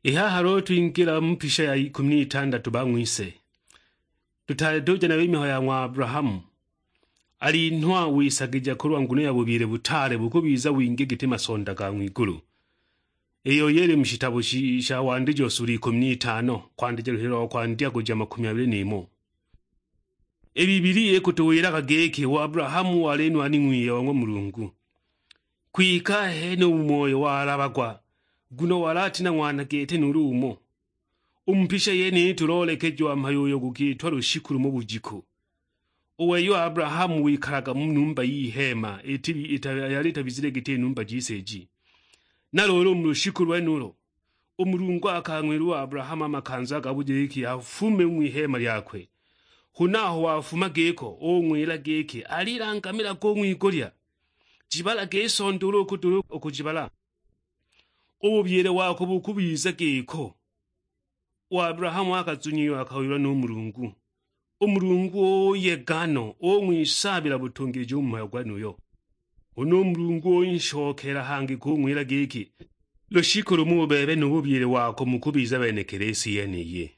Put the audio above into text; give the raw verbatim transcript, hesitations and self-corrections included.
I haha luulu twingila mu mpisha ya ikumi n'itandatu ba ng'wise. Tutaali tuja nayo i mihayo ya ng'wa Abrahamu. Alinhwa wisagija kulwa nguno ya bubyile butaale bukubiza wingi giti masonda ga ng'wigulu. Iyo yili mu shitabo shi-, sha Wandijo sula ikumi n'itano, kwandija luhilo lwa kwandya kuja makumi abili n'imo. I Biblia ikutuwilaga giki, u Abrahamu wali nwani ng'wiye wa ng'wa Mulungu. Kwike ahene u mu moyo walabagwa, nguno wali ati na ng'wana gete nuulu umo. U mu mpisha yeniyi tuloolekejiwa mhayo uyo gukiitwa lushiku lumo bujiku. U wei u Abrahamu wikalaga mu numba y'iheema iti-, ita-, yali itabizile giti numba jise iji. Na luulu u mu lushiku lwenulo, u Mulungu akang'wila u Abrahamu a makanza ga bujikiki afume u ng'wiheema lyakwe. Huna aho wafuma giko, ung'wila giki, "Alilangamilaga u ng'wigulya, jibalage i sonda ulu ukudula u kujibala, u bubyile wako bukubiza giko." U Abrahamu akazunyiwa akawilwa nu Mulungu. U Mulungu uyega no, ung'wisaabila butungilija u mu mhayo gwenuyo. Huna u Mulungu unshokeela hangi kung'wila giki, "Lushiku lumo u bebe nu bubyile wako mukubiza benekele isi yeniyi."